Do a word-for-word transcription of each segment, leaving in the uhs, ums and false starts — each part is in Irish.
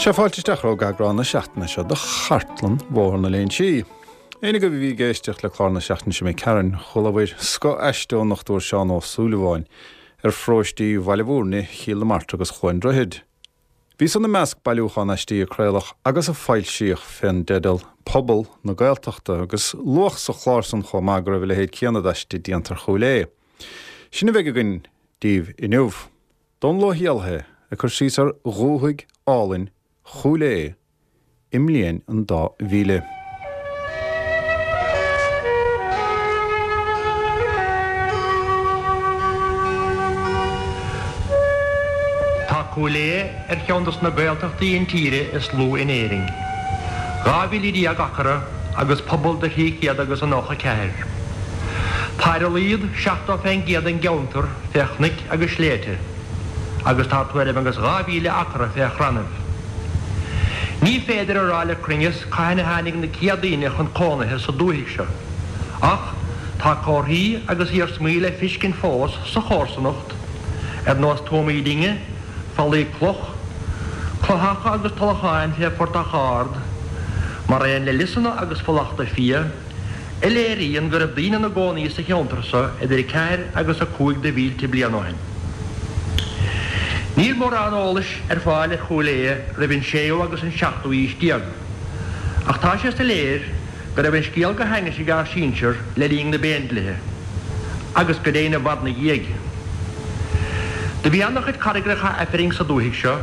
Sea, fáilte isteach chuig eagrán na seachtaine seo de Chartlann Bhóthar na Léinsí. Éinne agaibh a bhí ag éisteacht le clár na seachtaine seo imigh tharainn, chualabhair scoth-aiste ón nDochtúir Seán Ó Súilleabháin ar pharóistí Bhaile Bhúirne, Chill na Martra agus Chluain Droichid. Bhí san i measc bailiúchán aistí a craoladh agus a foilsíodh fén dteideal Pobal na Gaeltachta agus luadh sa chlár san chomh maith go raibh a leithéid céanna d'aiste déanta ar Chúil Aodha. Sin a bheidh againn daoibh inniu. Dónall Ó hÉallaithe ag cur síos ar dhúthaigh álainn Chúil Aodha i mbliain an dá mhíle. Tá Cúil Aodha ar cheann dos na Gaeltachtaí intíre is lú in Éirinn. Dhá mhíle déag acra agus pobal de thrí chéad agus a nócha ceathair. Tá ar a laghad seachtó fén gcéad den gceantar fé chnoic agus sléibhte. agus tá tuairim agus dhá mhíle acra fé chrannaibh. Ní féidir a rá le cruinneas cathain a tháinig na céad daoine chun cónaithe sa dúthaigh seo, ach tá comharthaí agus iarsmaí le fiscint fós sa chomharsanacht, ar nós tuamaí dinge, fallaí cloch, cloicheacha agus tulacháin fé phortach ard, mar aon le liosanna agus fulachta fia, a léiríonn go raibh daoine ina gcónaí sa cheantar so idir a ceathair agus a cúig de mhílte bliain ó shin. Níl mórán eolais ar fáil ar Chúil Aodha roimh an séú agus an seachtú aois déag, ach tá sé soiléir go raibh an scéal go hainnis ag ár sinsir le linn na bPéindlíthe, agus go deimhin i bhfad 'na dhiaidh. Do bhí ana-chuid carraigreacha Aifrinn sa dúthaigh seo,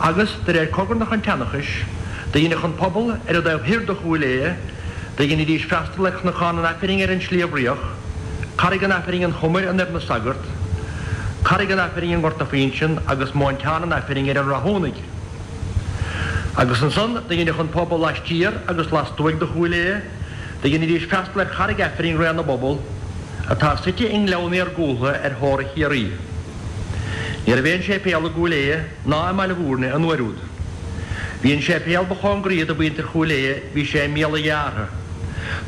agus, de réir cogarnach an tseanchais, do dheineadh an pobal ar an dtaobh thoir de Chúil Aodha, Do dheinidís freastal ar Chnocán an Aifrinn ar an Sliabh Riach, Carraig an Aifrinn an Chomair i nDoire na Sagart, Carraig an Aifrinn i nGort na Fuinseann agus Móinteán an Aifrinn ar an Rathúnaigh. Agus ansan do dheineadh an pobal laistiar agus lastuaidh de Chúil Aodha, do dheinidís freastal ar Charraig Aifrinn Raon na bPobal, atá suite i ngleann iargúltha ar theora Chiarraí. Ní raibh aon séipéal i gCúil Aodha ná i mBaile Bhúirne an uair úd. Bhí an séipéal ba chóngaraí do mhuintir Chúil Aodha, bhí sé i mBéal a' Ghearrtha,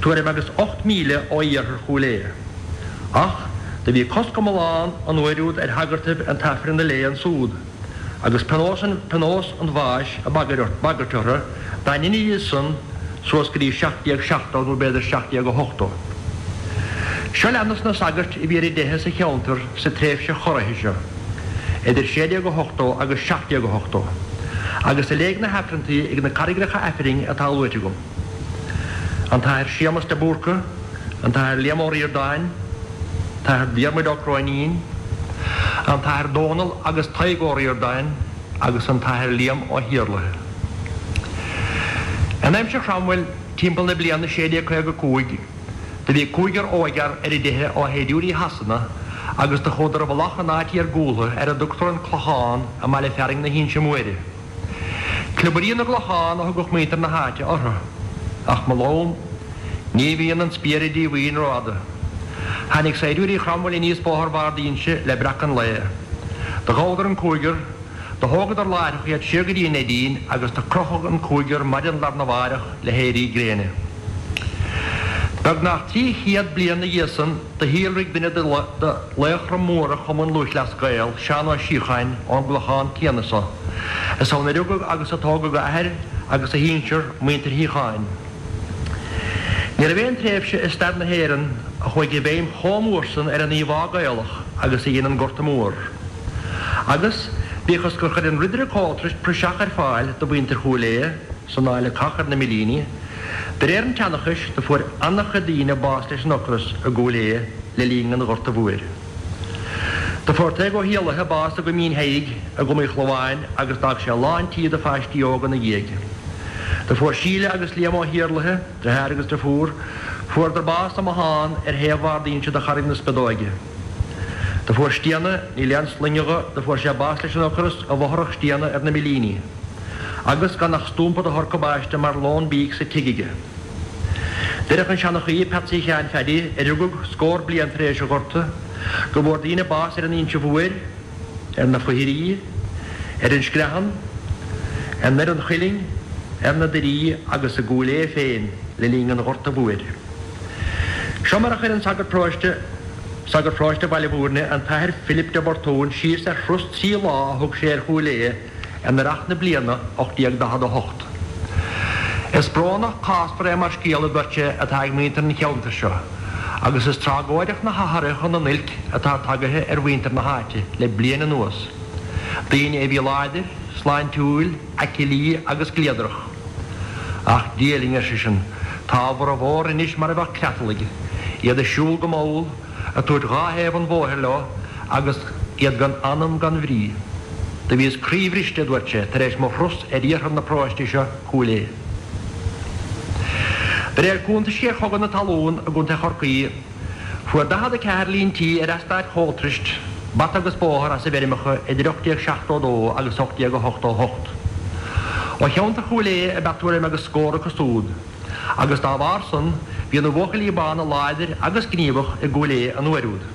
tuairim agus ocht míle ó iarthar Chúil Aodha. Ach do bhí cosc iomlán an uair úd ar shagartaibh an tAifreann a léamh ansúd, agus pionós pionós an bháis ag bagairt orthu dá ndeinidís san suas go dtí seacht déag seachtó nó b'fhéidir seacht déag a hochtó. Seo leanas na sagairt a bhí ar a dteitheadh sa cheantar sa tréimhse chorraithe seo, idir sé déag a hochtó agus seacht déag a hochtó, agus a léigh na hAifreanntaí ag na carraigreacha Aifrinn atá luaite agam, An tAthair Séamus de Búrca, an tAthair Liam Ó Ríordáin, tAthair Diarmuid Ó Cróinín, an tAthair Dónal agus Tadhg Ó Ríordáin agus an tAthair Liam Ó hIarlaithe. In aimsir Chromwell, timpeall na bliana sé déag caoga a cúig, Do bhí cúigear óigfhear ar a dteitheadh ó shaighdiúirí Shasana agus do chuadar i bhfolach in áit iargúltha ar a dtugtar an Clochán i mbaile fearainn na hInse Móire. Cliobairí na gClochán a thugadh muintir na háite orthu. Ach mo lón, ní bhíonn an spiaire díomhaoin rófhada. Tháinig saighdiúirí Chromwell aníos bóthar Bhard Inse le breacadh an lae. Do ghabhadar an cúigear, Do thógadar láithreach iad siar go dtí an Neidín agus do crochadh an cúigear maidin lar na mháireach le héirí gréine. Beagnach trí chéad bliain 'na dhiaidh san do shíolraigh duine de laochra móra Chumann Lúthchleas Gael, Seán Ó Síocháin, ón gClochán céanna so. Is ann a rugadh agus a tógadh a athair agus a shinsear, muintir Shíocháin. Ní raibh aon tréimhse i stair na hÉireann a chuaigh i bhfeidhm chomh mór san ar an íomhá Gaelach agus a dhein an Gorta Mór. Agus, bíodh is gur chuir an Ridire Coltris praiseach ar fáil do mhuintir Chúil Aodha, sa ndáil le cách ar na millíní, de réir an tseanchais, do fuair an-chuid daoine bás leis an ocras i gCúil Aodha le linn an Ghorta Mhóir. Do fuair Tadhg Ó hÉallaithe bás i gCoimín Thaidhg i gCom Uí Chlomháin agus d'fhág sé lán tí de pháistí óga 'na dhiaidh. Do fuair Síle agus Liam Ó hIarlaithe, deartháir agus deirfiúr, fuaradar bás i mbothán ar thaobh Bhard Inse de Charraig na Spiodóige. Do fuair Stiabhna, níl aon sloinne dho, do fuair sé bás leis an ocras i bhfothrach Stiabhna ar na millíní, agus gan ach stúmpa de shorcabáiste mar lón bídh sa tigh aige. Deireadh an seanchaí, Peatsaí Sheáin Pheaidí, a rugadh scór bliain tar éis an Ghorta, go bhfuair daoine bás ar an Inse Mhóir, ar na Foithirí, ar an Screathan, i nDoire an Chuilinn, ar na Doirí agus i gCúil Aodha féin le linn an Ghorta Mhóir. Seo mar a chuir an sagart paróiste, sagart paróiste Bhaile Bhúirne, an tAthair Philip de Botún, síos ar thuras trí lá a thug sé ar Chúil Aodha in earrach na bliana ocht déag daichead a hocht. Is brónach cásmhar é mar scéal, a dúirt sé, atá ag muintir an cheantair seo, agus is tragóideach na hathruithe chun an oilc atá tagaithe ar mhuintir na háite le bliain anuas, daoine a bhí láidir, sláintiúil, aclaí agus gliadrach. Ach Dia linn, ar seisean, tá a bhformhór anois mar a bheadh cleatalaigh, iad ag siúl go mall, ag tabhairt dhá thaobh an bhóthair leo agus iad gan anam gan bhrí. Do bhíos croíbhriste, a dúirt sé, tar éis mo thuras ar iarthar na paróiste seo, Cúil Aodha. De réir cuntaisí ar Chogadh na Talún i gContae Chorcaí, fuair daichead a ceathair líon tí ar eastát Choltrist bata agus bóthar as a bhfeirmeacha idir ocht déag seachtó a dó agus ocht déag ochtó a hocht. Ó cheantar Chúil Aodha ab ea tuairim agus scór acu súd, agus dá bharr san bhí na buachaillí bána láidir agus gníomhach i gCúil Aodha an uair úd.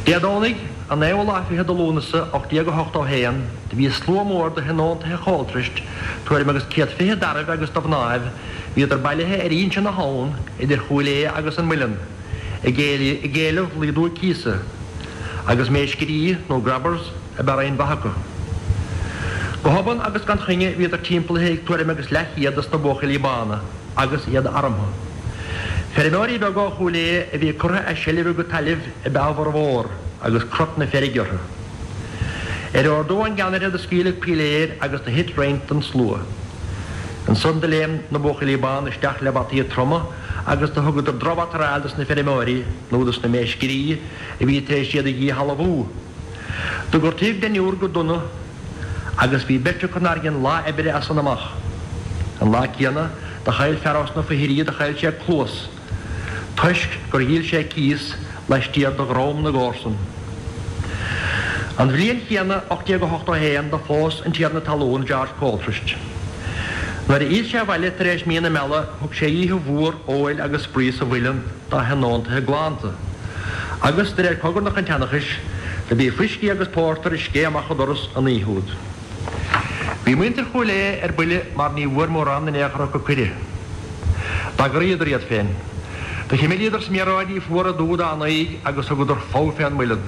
Dé Domhnaigh, an naoú lá fichead de Lúnasa ocht déag ochtó a haon, do bhí slua mór de thionóntaithe Choltrist, tuairim agus céad fiche d'fhearaibh agus de mhnáibh, bhíodar bailithe ar inse na habhann idir Chúil Aodha agus an Muileann, ag éileamh laghdú cíosa, agus méiscirí, nó grabbers, ab ea roinnt mhaith acu. Go hobann agus gan choinne bhíodar timpeallaithe ag tuairim agus leathchéad dos na buachaillí bána, agus iad armtha. Feirmeoirí beaga ó Chúil Aodha a bhí curtha as seilbh a gcuid tailimh ab ea a bhformhór, agus crot na feirge orthu. Ar ordú ón gceannaire do scaoileadh píléir agus do thit roinnt den slua. Ansan do léim na buachaillí bána isteach le bataí troma agus do thugadar drochbhataráil dos na feirmeoirí nó dos na méiscirí a bhí tar éis iad a dhíshealbhú. Do gortaíodh deichniúr go dona agus bhí beirt acu nár dhein lá oibre as san amach. An lá céanna do chaill fear ós na Foichirí do chaill sé cluas toisc gur dhíol sé cíos laistiar de dhrom na gcomharsan. An bhliain chéanna, ocht déag ochtó a haon, do phós an tiarna talún George Coltrist. Nuair a fhill sé abhaile tar éis mí na meala thug sé oíche mhór óil agus spraoi sa mhuileann dá thionóntaithe glanta. Agus, de réir chogarnach an tseanchais, do bhí fuiscí agus pórtar ag scéith amach an doras an oíche úd. Bhí muintir Chúil Aodha ar buile mar ní bhfuair mórán in aon chor acu cuireadh. D'eagraíodar iad féin. Do chimilíodar sméaróidí fuara dubha dá n-aghaidh agus thugadar fogha fén muileann.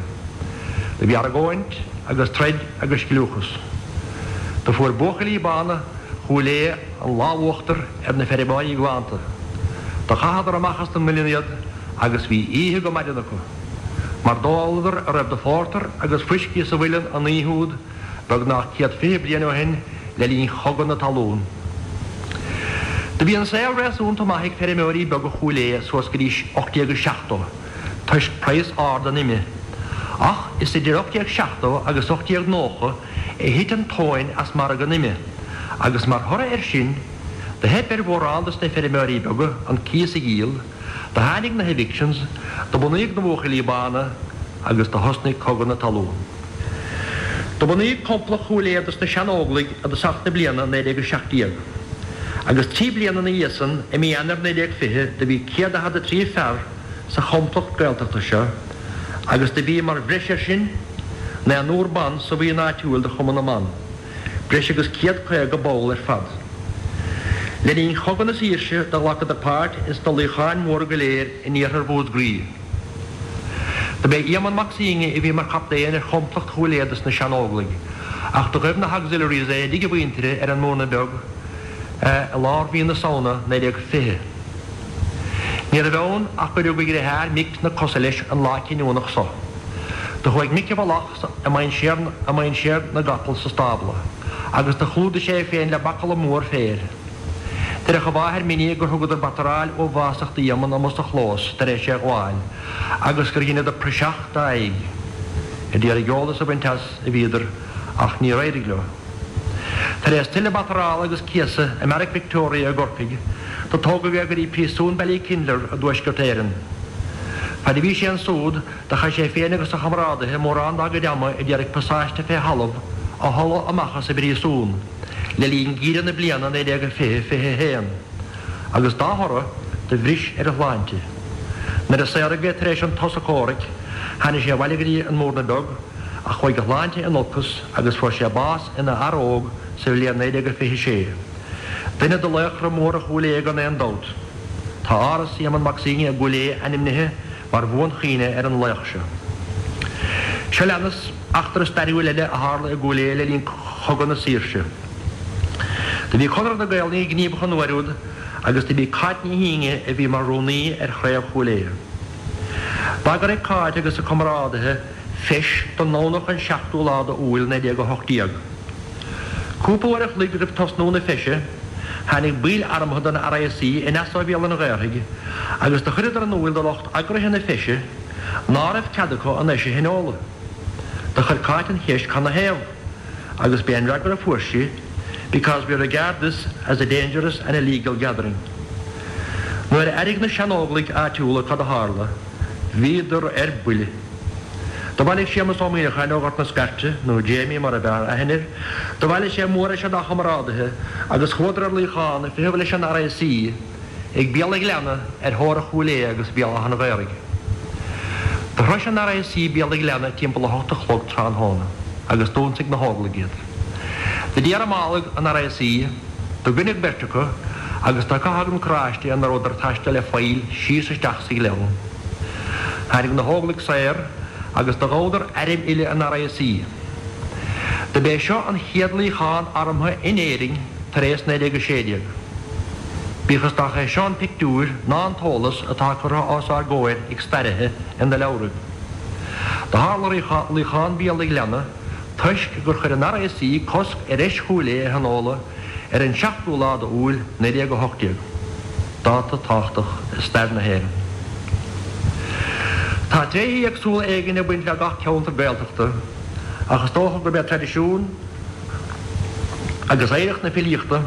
Do bhí argóint agus troid agus scliúchas. Do fuair buachaillí bána Chúil Aodha an lámh uachtair ar na feirmeoirí glanta. Do chaitheadar amach as an muileann iad agus bhí oíche go maidin acu. Mar d'óladar a raibh de phórtar agus fuiscí sa mhuileann an oíche úd, beagnach céad fiche bliain ó shin, le linn Chogadh na Talún. Do bhí an saol réasúnta maith ag feirmeoirí beaga Chúil Aodha suas go dtí ocht déag seachtó, toisc praghas ard an ime. Ach is idir ocht déag seachtó agus ocht déag nócha a thit an tóin as margadh an ime, agus mar thoradh air sin, do theip ar mhórán dos na feirmeoirí beaga an cíos a dhíol, do tháinig na hevictions, do bunaíodh na Buachaillí Bána agus do thosnaigh Cogadh na Talún. Do bunaíodh Complacht Chúil Aodha dos na Sean-Óglaigh i dtosach na bliana naoi déag a seacht déag, agus trí bliana ina dhiaidh san, i mí Eanáir naoi déag fiche, do bhí céad daichead a trí fear sa Chomplacht Gaeltachta seo, agus do bhí mar bhreis air sin, naonúr ban sa bhuíon áitiúil de Chumann na mBan, breis agus céad caoga ball ar fad. Le linn Chogadh na Saoirse do ghlacadar páirt ins na luíocháin mhóra go léir in iarthar Mhúscraí. Do b'é Éamonn Mac Suibhne a bhí mar chaptaen ar Chomplacht Chúil Aodha dos na Sean-Óglaigh, ach do ghaibh na hAuxiliaries é i dtigh a mhuintire ar an mBúrna Beag i lár mhí na Samhna naoi déag fiche. Ní raibh ann ach gur rug a dhriotháir Mick na cosa leis an lá cinniúnach so. Do chuaigh Mick i bhfolach i mainséar na gcapall sa stábla, agus do chlúdaigh sé é féin le bacalla mór féir. Deireadh a mháthair Minnie gur thugadar bataráil uathbhásach d'Éamonn amuigh sa chlós tar éis é a ghabháil, agus gur dheineadar praiseach dá aghaidh. A d'iarraidh eolas a bhaint as a bhíodar, ach níor éirigh leo. Tar éis tuilleadh batarála agus céasadh i mBeairic Victoria i gCorcaigh, do tógadh é go dtí príosún Ballykinler i dTuaisceart Éireann. Fad a bhí sé ansúd, do chaith sé féin agus a chomrádaithe mórán dá gcuid ama a d'iarraidh pasáiste fé thalamh a tholladh amach as an bpríosún le linn geimhreadh na bliana naoi déag fiche fiche a haon, agus dá thoradh, do bhris ar a shláinte. Nuair a saoradh é tar éis an tsosa comhraic, tháinig sé abhaile go dtí an Múrna Beag, ach chuaigh a shláinte in olcas agus fuair sé bás ina fhear óg sa bhliain naoi déag fiche sé. Duine de laochra móra Chúil Aodha gan aon dabht. Tá Áras Éamonn Mac Suibhne i gCúil Aodha ainmnithe mar bhuanchuimhne ar an laoch seo. Seo leanas Eachtra stairiúil eile a tharla i gCúil Aodha le linn Chogadh na Saoirse. Do bhí Conradh na Gaelainne gníomhach an uair úd agus do b'í Cáit Ní hÍne a bhí mar rúnaí ar chraobh Chúil Aodha. D'eagraigh Cáit agus a comrádaithe feis don nDomhnach an seachtú lá d'Iúil naoi déag a hocht déag. Cúpla uair a chloig roimh tosnú na feise, tháinig baill armtha den R A C aneas ó Bhéal an Ghaorthaidh agus do chuireadar in úil do lucht eagraithe na feise ná raibh cead acu an fheis a thionóladh. Do chuir Cáit an cheist cad 'na thaobh, agus b'é an fhreagra a fuair sí, Because we regard this as a dangerous and illegal gathering. Nuair a airigh na sean-Óglaigh áitiúla cad a tharla, bhíodar ar buile. Do bhailigh Séamus Ó Muíneacháin ó Ghort na Scairte, nó Jamie mar ab fhearr aithne air, do bhailigh sé mórsheisear dá chomrádaithe agus chuadar ar luíochán ag feitheamh leis an R A C ag Béal an Ghleanna ar theora Chúil Aodha agus Béal Átha an Ghaorthaidh. Do shrois an R A C Béal an Ghleanna timpeall a hocht a chlog tráthnóna agus d'ionsaigh na hÓglaigh iad. Do dhearmálaigh an R A C, do goineadh beirt acu agus do caitheadh an carráiste ina rabhadar ag taisteal le faill síos isteach sa ghleann. Tháinig na hÓglaigh soir agus do ghabhadar airm uile an R A C. Do b'é seo an chéad luíochán armtha in Éirinn tar éis naoi déag a sé déag. Bíodh is nach é seo an pictiúr ná an t-eolas atá curtha os ár gcomhair ag stairithe ina leabhraibh. Do tharla luíochán Bhéal an Ghleanna toisc gur chuir an R A C cosc ar Fheis Chúil Aodha a thionóladh ar an seachtú lá d'Iúil naoi déag a hocht déag, dáta tábhachtach i stair na hÉireann. Tá tréithe éagsúla éigin ag baint le gach ceantar Gaeltachta, ach is dócha gurb é traidisiún agus oidhreacht na filíochta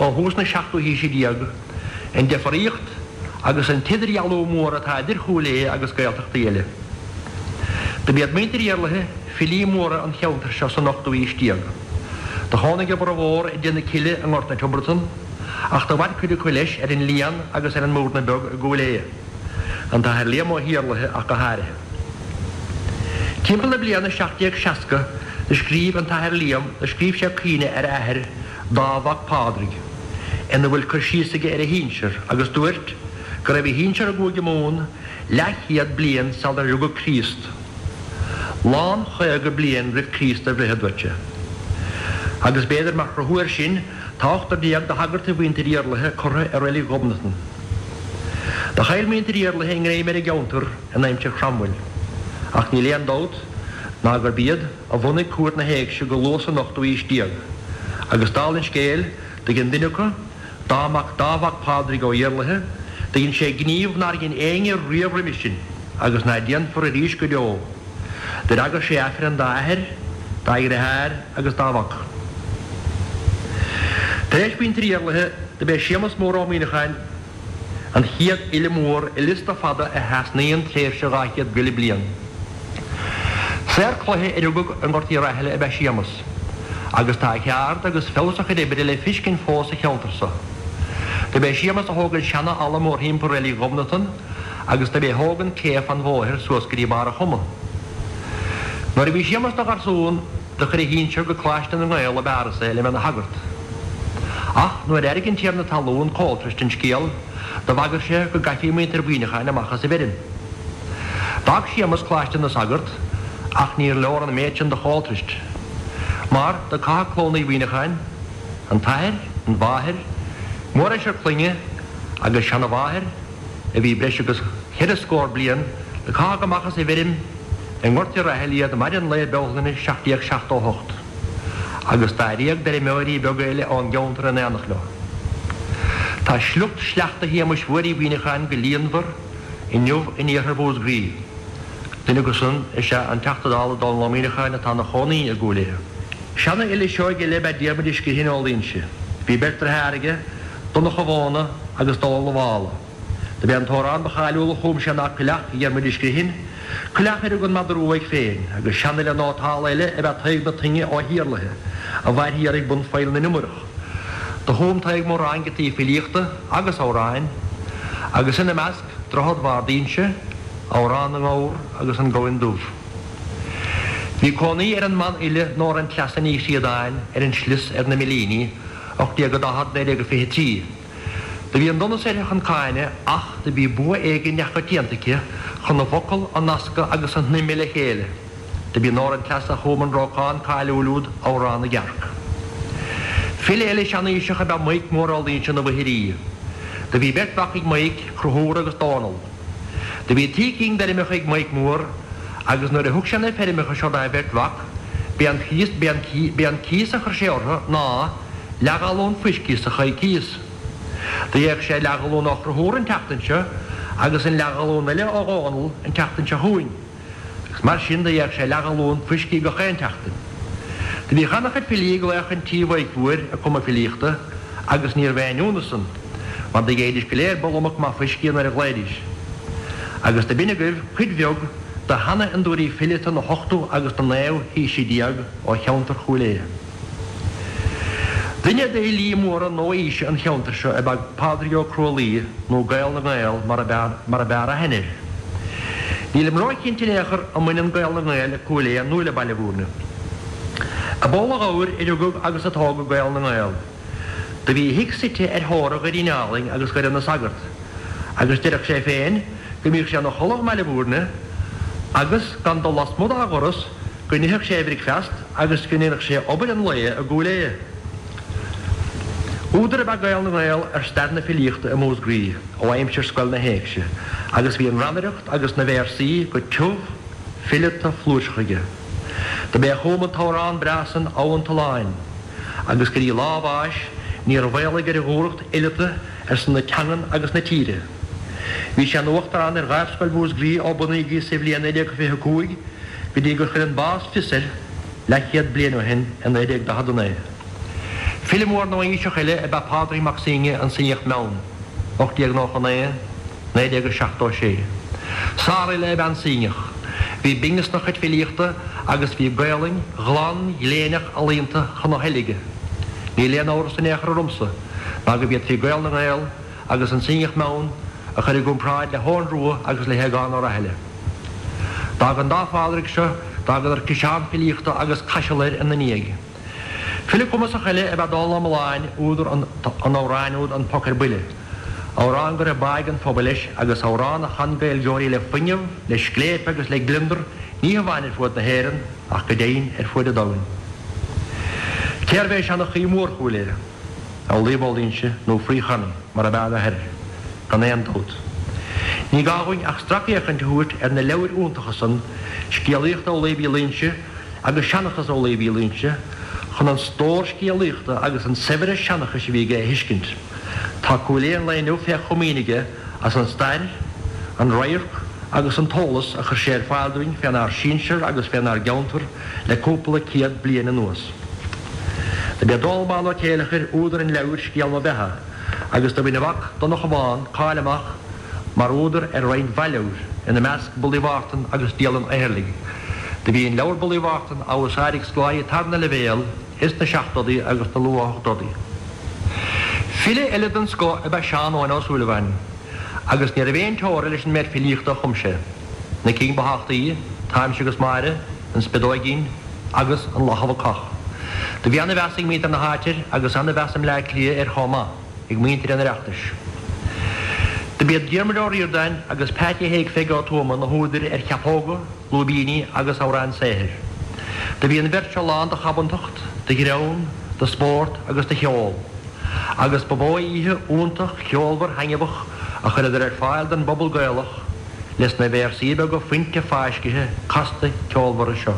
ó thús na seachtú haoise déag an deifríocht agus an t-idirdhealú mór atá idir Chúil Aodha agus Gaeltachtaí eile. Do b'iad muintir Iarlaithe filí móra an cheantair seo san ochtú haois déag. Do chónaigh a bhformhór i dTigh na Cille i nGort na Tiobratan, ach do mhair cuid acu leis ar an Líon agus ar an mBúrna Beag i gCúil Aodha, an tAthair Liam Ó hIarlaithe ach go háirithe. Timpeall na bliana seacht déag seasca do scríobh an tAthair Liam, do scríobh sé caoineadh ar a athair, Dádh Mhac Pádraig, ina bhfuil cur síos aige ar a shinsear agus dúirt go raibh a shinsear i gCúige Mumhan leathchéad bliain sular rugadh Críost. Lán chaoga bliain roimh Chríost a bhreith, a dúirt sé. Agus b'fhéidir mar chruthú air sin, tá ochtar déag de shagairt mhuintir Iarlaithe curtha i reilig Ghobnatan. Do chaill muintir Iarlaithe a ngreim ar an gceantar in aimsir Chromwell, ach níl aon dabht ná gurb iad a bhunaigh Cúirt na hÉigse go luath san ochtú haois déag, agus dála an scéil, do dhein duine acu, Dádh mac Dádh Mhac Pádraig Ó Iarlaithe, do dhein sé gníomh nár dhein éinne riamh roimis sin, agus ná déanfar arís go deo. D'fhreagair sé Aifreann dá athair, dá dheartháir agus dá mhac. Tar éis mhuintir Iarlaithe, do b'é Séamus Mór Ó Muíneacháin an chéad fhile mór i liosta fada a thrasnaíonn tréimhse dhá chéad go leith bliain. Saor cloiche a rugadh i nGort Uí Rathaille ab ea Séamus, agus tá a cheard agus feabhas a chuid oibre le fiscint fós sa cheantar so. Do b'é Séamus a thóg an seana-fhalla mórthimpeall reilig Ghobnatan, agus do b'é a thóg an cé fan bhóthair suas go dtí barr an Choma. Nuair a bhí Séamus 'na gharsún do chuir a shinsear go Coláiste na nGael i bPáras é le bheith 'na shagart. Ach nuair a airigh an tiarna talún Colthrist an scéal do bhagair sé go gcaithfí muintir Mhuineacháin amach as an bhfeirm. D'fhág Séamus Coláiste na Sagart ach níor leor an méid sin do Choltrist. Mar do caitheadh clann Uí Mhuineacháin, an t-athair, an mháthair, mórsheisear clainne agus seanamháthair, a bhí breis agus cheithre scór bliain, do caitheadh amach as an bhfeirm i nGort Uí Rathaille iad maidin lae Bealtaine seacht déag seachtó a hocht, agus dáréag d'fheirmeoirí beaga eile ón gceantar in éineacht leo. Tá sliocht sleachta Shéamuis Mhóir Uí Mhuineacháin go líonmhar inniu in iarthar Mhúscraí. Duine acu san is ea an Teachta Dála Dónall Ó Muíneacháin atá ina chónaí i gCúil Aodha. Seanfhile seoigh eile ab ea Diarmuid Ó Scrithín ó Luínse. Bhí beirt deartháir aige, Donncha Mhóna agus Dónall an Mhála. Do b'é an t-amhrán ba cháiliúla a chum sé ná Coileach Dhiarmuid Uí Scrithín, coileach ar thug an madra uaidh féin, agus seanfhile nótálta eile ab ea Tadhg na Tuinne Ó hIarlaithe, a mhair thiar ag bun Phoill na nIomaireach. Do chum Tadhg mórán giotaí filíochta agus amhráin, agus ina measc, Droichead Bharr d'Inse, Amhrán na nGabhar agus An Gamhain Dubh. Bhí cónaí ar an mbanfhile Nóra an Treasa Ní Chríodáin ar an slios ar na Millíní, ocht déag a daichead, naoi déag a fiche trí. Do bhí an donas uirthi chun cáineadh ach do bhí bua éigin neamhchoitianta aici chun na bhfocal a nascadh agus a shnoimeadh le chéile de Do b'í Nóra an cleasach a chum an rocán cáiliúil úd Amhrán na gCearc. File eile seanaoiseach ab ea Maidhc Mór Ó Loingsigh na bhFoichirí. Do bhí beirt mhac ag Maidhc, Conchúr agus Dónall. Do bhí trí cinn d'fheirmeacha ag Maidhc Mór agus nuair a thug sé na feirmeacha seo dá bheirt mhac, b'é an cíos, b'é an, b'é an cíos a chuir sé orthu ná leathghalún fuiscí sa choicíos. Do gheibheadh sé leathghalún ó Chonchúr an tseachtain seo agus an leathghalún eile ó Dhónall an tseachtain seo chugainn. Agus mar sin do gheibheadh sé leathghalún fuiscí gach aon tseachtain. Do bhíodh ana-chuid filí ag glaoch chun tí Mhaidhc Mhóir ag cumadh filíochta agus níorbh aon ionadh san, mar do gheibhidís go léir bulla maith fuiscí nuair a ghlaoidís. Agus do b'in agaibh cuid bheag de sheanfhondúirí fileata na hochtú agus na naoú haoise déag ó cheantar Chúil Aodha. Duine d'fhilí móra nua-aoise an cheantair seo ab ea Pádraig Ó Cruadhlaoich, nó Gael na nGael mar ab fhearr aithne air. Nílim róchinnte in aon chor an mbaineann Gael na nGael le Cúil Aodha nó le Baile Bhúirne. I bPoll a' Ghabhair a rugadh agus a tógadh Gael na nGael. Do bhí a thigh suite ar theora Dhoirín Álainn agus Dhoire na Sagart, agus deireadh sé féin go mbíodh sé ina chodladh i mBaile Bhúirne agus gan dul lasmuigh dá dhoras go n-itheadh sé a bhricfeast agus go ndéanadh sé obair an lae i gCúil Aodha. Údar ab ea Gael na nGael ar stair na filíochta i Músgraí ó aimsir Scoil na hÉigse agus bhí an rannaireacht agus na véarsaí go tiubh fileata flúirseach aige. Do b'é a chum an t-amhrán breá san Abhann Tulláin agus go dtí lá a bháis níor mhaolaigh ar a dhúthracht fhileata ar son na teangan agus na tíre. Bhí sé ina uachtarán ar Ghaibhscoil Mhúsgraí ó bunaíodh í sa bhliain naoi déag fiche a cúig go dtí gur chuir an bás fios air leathchéad bliain ó shin i naoi déag daichead a naoi. File mór nua-aoiseach eile ab ea Pádraig Mac Suibhne, an Suibhneach Meann, ocht déag nócha a naoi, naoi déag seachtó a sé. Sárfhile ab ea an Suibhneach. Bhí binneas ina chuid filíochta agus bhí Gaolainn ghlan ghléineach ealaíonta chun a thoile aige. Níl aon amhras in aon chor ormsa ná go bhféadfaí Gael na nGael agus an Suibhneach Meann a chur i gcomparáid le hEoghan Rua agus le hAogán Ó Rathaille. D'fhág an dá Phádraig seo, d'fhágadar ciseán filíochta agus caiseal air ina ndiaidh. File cumasach eile ab ea Dónall Ó Mealláin, údar an amhráin úd An Poc ar Buile, amhrán go raibh bá ag an phobal leis agus amhrán a chan Gaeilgeoirí le fuinneamh, le scléip agus le gliondar ní hamháin ar fuaid na hÉireann ach go deimhin ar fuaid an domhain. Cérbh é seanchaí mór Chúil Aodha? Amhlaoibh Ó Loingsigh nó Free Chonnie mar ab fhearr aithne air, gan aon dabht. Ní gá dhúinn ach stracfhéachaint a thabhairt ar na leabhair iontacha san, Scéalaíocht Amhlaoibh Uí Loingsigh agus Seanchas Amhlaoibh Uí Loingsigh, chun an stór scéalaíochta agus an saibhreas seanchais a bhí aige a thuiscint. Tá Cúil Aodha an lae inniu fé chomaoin aige as an stair, an radharc agus an t-eolas a chuir sé ar fáil dúinn fénár sinsear agus fénár gceantar le cúpla céad bliain anuas. Do b'é Dónall Bán Ó Céileachair údar an leabhair Scéal Mo Bheatha agus do bhain a mhac Donncha Bán cáil amach mar údar ar roinnt mhaith leabhar, ina measc Bullaí Mhártain agus Dialann Eathairligh. Do bhí an leabhar Bullaí Mhártain á úsáid ag scoláirí tarna leibhéal ins na seachtóidí agus na luath-ochtóidí. File eile den scoth ab ea Seán Eoghain Ó Súilleabháin agus ní raibh aon teora leis an méid filíochta a chum sé, na cinn ba thábhachtaí, Táimse agus Máire, An Spideoigín agus An Luch Bhacach. Do bhí ana-mheas ag muintir na háite air agus ana-mheas i mBleá Cliath air chomh maith, ag muintir an Oireachtais. Do b'iad Diarmuid Ó Ríordáin agus Peaití Thaidhg Pheig Ó Tuama na húdair ar Cheapóga, Lúibíní agus Amhráin Saothair. Do bhí an bheirt seo lán de chabantacht, de ghreann, de spórt agus de cheol, agus ba mhó oíche iontach cheolmhar thaitneamhach a chuireadar ar fáil don bpobal Gaelach leis na véarsaí beaga fuinte fáiscithe casta ceolmhara seo.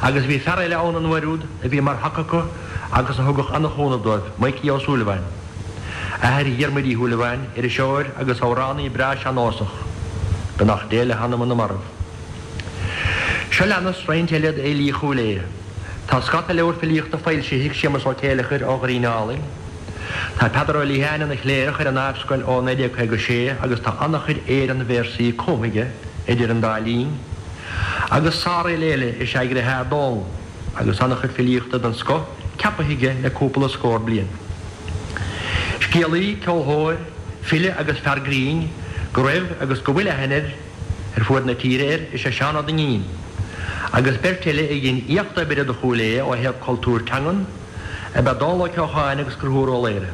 Agus bhí fear eile ann an uair úd a bhí mar thaca acu agus a thugadh an-chúnamh dóibh, Maidhcí Ó Súilleabháin. Athair Dhiarmuid Uí Shúilleabháin, iriseoir agus amhránaí breá sean-nósach. Beannacht Dé le hanam na marbh. Seo leanas roinnt eile d'fhilí Chúil Aodha. Tá scata leabhar filíochta foilsithe ag Séamus Ó Céileachair ó Dhoirín Álainn. Tá Peadar Ó Liatháin ina chléireach ar an Dáimhscoil ó naoi déag caoga a sé agus tá an-chuid Éireann-véarsaí cumtha aige idir an dá linn. Agus sárfhile eile is ea a dheartháir Dónall agus an-chuid filíochta den scoth ceaptha aige le cúpla scór bliain. Scéalaí, ceolthóir, file agus fear grinn go raibh agus go bhfuil aithne air ar fuaid na tíre air is ea Seán Ó Duinnín, agus beirt eile a dhein éacht oibre do Chúil Aodha ó thaobh cultúr teangan ab ea Dónal Ó Ceocháin agus Conchúr Ó Laoghaire.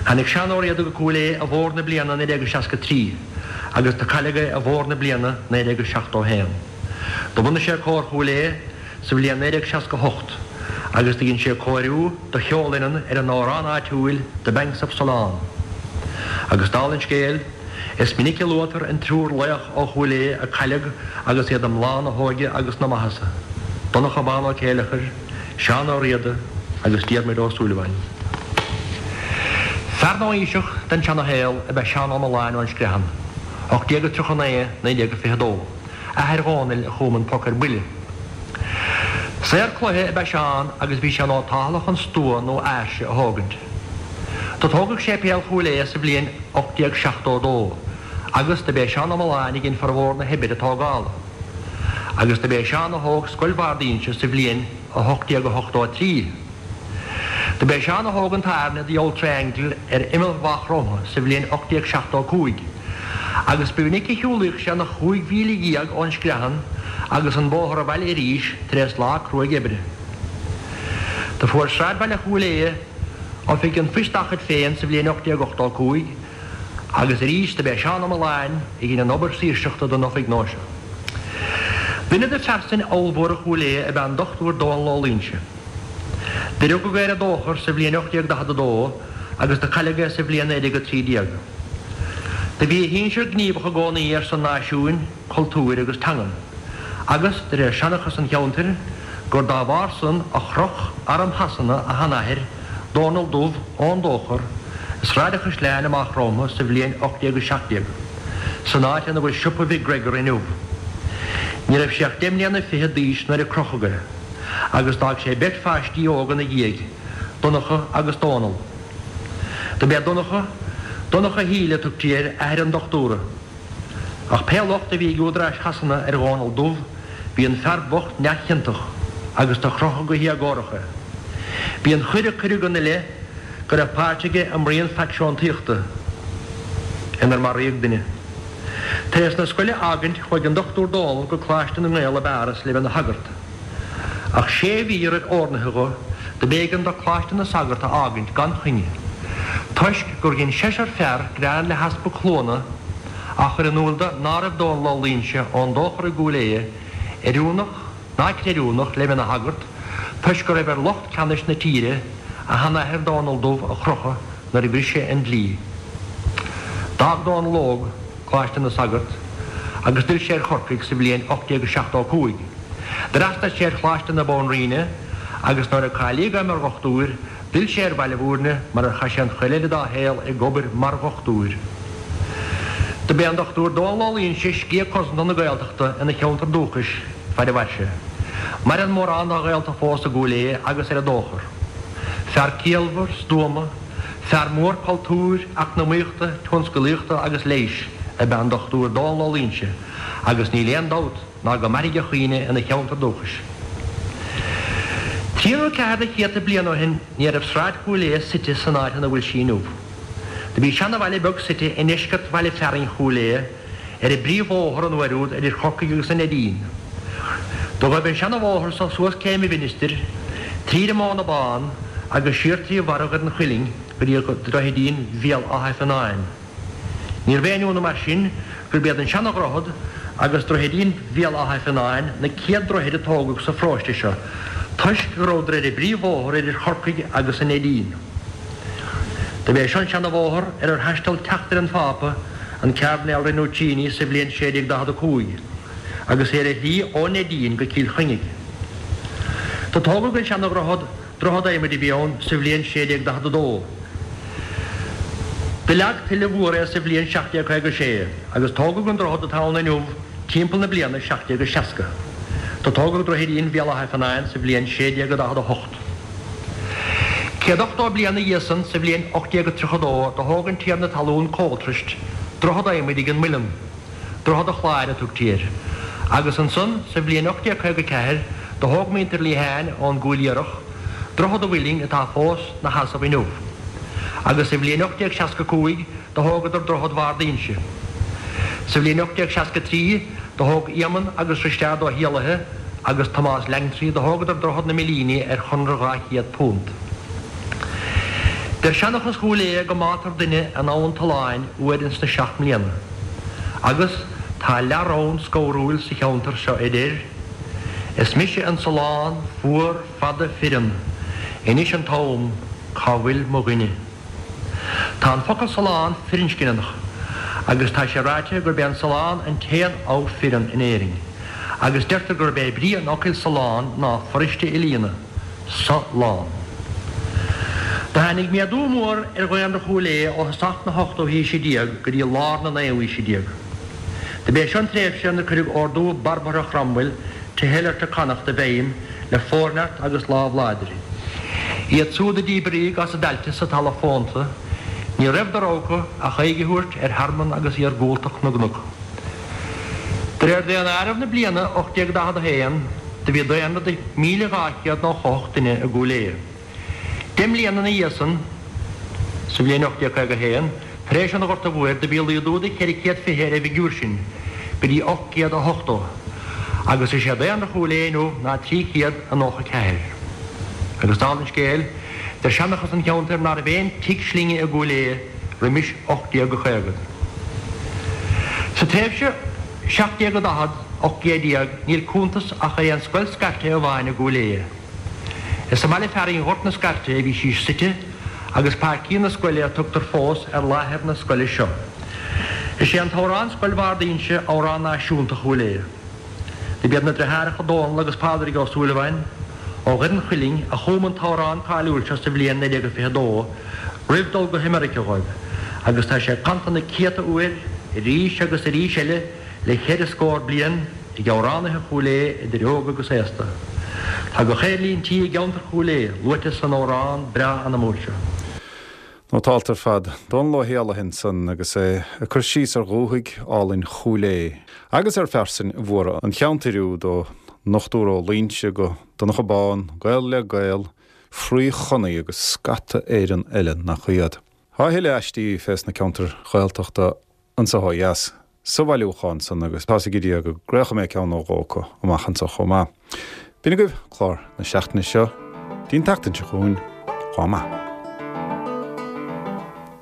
Tháinig Seán Ó Riada go Cúil Aodha i bhfómhar na bliana naoi déag seasca trí agus do cailleadh é i bhfómhar na bliana naoi déag seachtó haon. Do bhunaigh sé Cór Chúil Aodha sa bhliain naoi déag seasca hocht agus do dhein sé cóiriú do cheolfhoireann ar an amhrán áitiúil The Banks of Sullane. Agus dála an scéil, is minic a luaitear an triúr laoch ó Chúil Aodha a cailleadh agus iad i mbláth na hóige agus na maitheasa, Donncha Bán Ó Céileachair, Seán Ó Riada agus Diarmuid Ó Súilleabháin. Fear nua-aoiseach den seana-shaol ab ea Seán Ó Mealláin ón Screathan, ocht déag tríocha naoi, naoi déag fiche dó, athair Dhónaill a chum An Poc ar Buile. Saor cloiche ab ea Seán agus bhí sé nótáltha chun stua nó áirse a thógaint. Do tógadh séipéal Chúil Aodha sa bhliain ocht déag seachtó dó agus do b'é Seán Ó Mealláin a dhein formhór na hoibre tógála. Agus do b'é Seán a thóg Scoil Bhard Inse sa bhliain a hocht déag ochtó a trí. Do b'é Seán a thóg an tairne The Old Triangle ar imeall Mhaigh Chromtha sa bhliain ocht déag seachtó cúig agus ba mhinic a shiúlaíodh sé na chúig mhíle dhéag ón Screathan agus an bóthar abhaile arís tar éis lá cruaidh oibre. Do fuair sráidbhaile Chúil Aodha oifig an phoist dá chuid féin sa bhliain ocht déag ochtó cúig agus arís do b'é Seán Ó Mealláin a dhein an obair saoirseachta don oifig nua seo. Duine de phearsain ollmhóra Chúil Aodha ab ea an Dochtúir Dónall Ó Loingsigh. Do rugadh é ar an Dóchar sa bhliain ocht déag daichead a dó agus do cailleadh é sa bhliain naoi déag a trí déag. Do bhí a shinsir gníomhach i gcónaí ar son náisiúin, cultúir agus teangan, agus, de réir seanchas an cheantair, gur dá bharr san a chroch arm Shasana a sheanathair, Dónall Dubh, ón Dóchar, i Sráid an Chaisleáin i Maigh Chromtha sa bhliain ocht déag a seacht déag, san áit ina bhfuil siopa Mhic Gregor inniu. Ní raibh sé ach deich mbliana fichead d'aois nuair a crochadh é, agus d'fhág sé beirt pháistí óga ina dhiaidh, Donncha agus Dónall. Do b'é Donncha, Donncha Shíle a tugtaí air, athair an dochtúra. Ach pé locht a bhí ag údaráis Shasana ar Dhónall Dubh, bhí an fear bocht neamhchiontach agus do crochadh go héagórach é. B'í an choir a cuireadh ina leith go raibh páirt aige i mbruíon faicseantaíochta inar maraíodh duine. Tar éis na scoile a fhágaint chuaigh an Dochtúir Dónall go Coláiste na nGael i bPáras le bheith ina shagart. Ach sé mhí roimh oirnithe dho, do b'éigean do Coláiste na Sagart a fhágaint gan choinne, toisc gur dhein seisear fear grean le hEaspag Chluana á chur in iúl do ná raibh Dónall Ó Loingsigh ón Dóchar i gCúil Aodha oiriúnach ná creidiúnach le bheith ina shagart toisc go raibh ar lucht ceannais na tíre a sheanathair Dónall Dubh a chrochadh nuair a bhris sé an dlí. D'fhág Dónall Óg Coláiste na Sagart agus d'fhill sé ar Chorcaigh sa bhliain ocht déag seachtó a cúig. D'fhreastail sé ar Choláiste na Banríona agus nuair a cáilíodh é mar dhochtúir, d'fhill sé ar Bhaile Bhúirne mar ar chaith sé an chuid eile dá shaol ag obair mar dhochtúir. Do b'é an Dochtúir Dónall Ó Loingsigh sciath cosanta na Gaeltachta ina cheantar dúchais faid a mhair sé. Maireann mórán dá ghaolta fós i gCúil Aodha agus ar an Dóchar. Fear ciallmhar, stuama, fear mór cultúir, eacnamaíochta, tionscalaíochta agus leighis ab ea an Dochtúir Dónall Ó Loingsigh agus níl aon dabht ná go mairfidh a chuimhne ina cheantar dúchais. Trí nó ceathair de chéadta bliain ó shin ní raibh Sráid Chúil Aodha suite san áit ina bhfuil sí inniu. Do bhí seanabhaile beag suite i ndeisceart bhaile fearainn Chúil Aodha ar an bpríomhbhóthar an uair úd idir Chorcaigh agus an Neidín. Do ghaibh an seanabhóthar so suas Céim an Mhinistir, tríd an Móna Bán agus siar trí bharra an Chuilinn go dtí Droichidín Bhéal Átha Fionnáin. Níorbh aon ionadh mar sin gurb iad an seanadhroichead agus Droichidín Bhéal Átha Fionnáin na céad droichid a tógadh sa pharóiste seo toisc go rabhadar ar an bpríomhbhóthar idir Chorcaigh agus an Neidín. Do b'é seo an seanabhóthar ar ar thaisteal teachtaire an Phápa, an Cairdinéal Rinuccini, sa bhliain sé déag daichead a cúig agus é ar a shlí ón Neidín go Cill Chainnigh. Do tógadh an seanadhroichead, droichead adhmaid a bhí ann, sa bhliain sé déag daichead a dó. Do leag tuile mhór é sa bhliain seacht déag caoga a sé agus tógadh an droichead atá ann inniu timpeall na bliana seacht déag seasca. Do tógadh Droichidín Bhéal Átha Fionnáin sa bhliain sé déag daichead a hocht. Céad ochtó bliain ina dhiaidh san, sa bhliain ocht déag tríocha dó, do thóg an tiarna talún Coltrist droichead adhmaid ag an muileann, Droichead an Chláir a tugtaí air, agus ansan sa bhliain ocht déag caoga a ceathair do thóg muintir Lehane ón gCúil Iarthach Droichead an Mhuilinn atá fós 'na sheasamh inniu. Agus sa bhliain ocht déag seasca cúig do thógadar Droichead Bhard Inse. Sa bhliain ocht déag seasca trí do thóg Éamonn agus Risteard Ó hÉallaithe agus Tomás Langtry do thógadar Droichead na Millíní ar chonradh dhá chéad punt. Deir seanchas Chúil Aodha go mbátar duine in Abhainn Tulláin uair ins na seacht mbliana. Agus Tá leath-rón scanrúil sa cheantar seo a deir, Is mise an Solán fuar fada fireann, Anois an t-am, cá bhfuil mo dhuine? Tá an focal Solán firinscneach agus tá sé ráite gurb é an Solán an t-aon abha fireann in Éirinn, agus deirtear gurb é brí an fhocail Solán ná foraoiste a líonadh, so-lán. Do tháinig méadú mór ar dhaonra Chúil Aodha ó thosach na hochtú haoise déag go dtí lár na naoú haoise déag. Do b'é seo an tréimhse ina cuireadh ordú barbartha Chromwell to hell or to Connacht i bhfeidhm le forneart agus lámh láidir. Iad siúd a díbríodh as a dtailte sa talamh fónta, ní raibh de rogha acu ach aghaidh a thabhairt ar thearmann agus iargúltacht na gcnoc. De réir daonáireamh na bliana ocht déag daichead a haon, do bhí daonra de míle dhá chéad nócha hocht duine i gCúil Aodha. Deich mbliana ina dhiaidh san, sa bhliain ocht déag caoga a haon, tar éis an Ghorta Mhóir, do bhí laghdú de cheithre chéad fiche ar an bhfigiúr sin go dtí ocht gcéad a hochtó, agus is é daonra Chúil Aodha inniu ná trí chéad a nócha a ceathair. Agus dála an scéil, deir seanchas an cheantair ná raibh aon tigh slinne i gCúil Aodha roimis ocht déag a caoga. Sa tréimhse seacht déag a daichead, ocht gcéad déag, níl cuntas ach ar aon scoil scairte amháin i gCúil Aodha. Is sa mbaile fearainn Ghort na Scairte a bhí sí suite agus Páircín na Scoile a tugtar fós ar láthair na scoile seo. Is é an t-amhrán Scoil Bharr d'Inse amhrán náisiúnta Chúil Aodha. Do b'iad na deartháireacha Dónall agus Pádraig Ó Súilleabháin ó Dhoire an Chuilinn a chum an t-amhrán cáiliúil seo sa bhliain naoi déag a fiche dó roimh dul go hAmerica dhóibh agus tá sé canta na céadta uair arís agus arís eile le ceithre scór bliain ag amhránaithe Chúil Aodha idir óg agus aosta. Tá gach aon líon tí i gceantar Chúil Aodha luaite san amhrán breá anamúil seo. Nótálta ar fad. Dónall Ó hÉallaithe ansan agus é ag cur síos ar dhúthaigh álainn Chúil Aodha agus ar phearsain mhóra an cheantair úd ó Dhochtúir Ó Loingsigh go Donncha Bán, Gael le Gael, Fraoich Chonnaidh agus scata Éireann eile nach iad. Tá a thuilleadh aistí fés na ceantair Ghaeltachta anso ó dheas sa bhailiúchán san agus tá's ag Dia go gcraolfaidh mé ceann nó dhó acu amach anso chomh maith. B'in agaibh clár na seachtaine seo. Dtí'n tseachtain seo chugainn, chomh maith.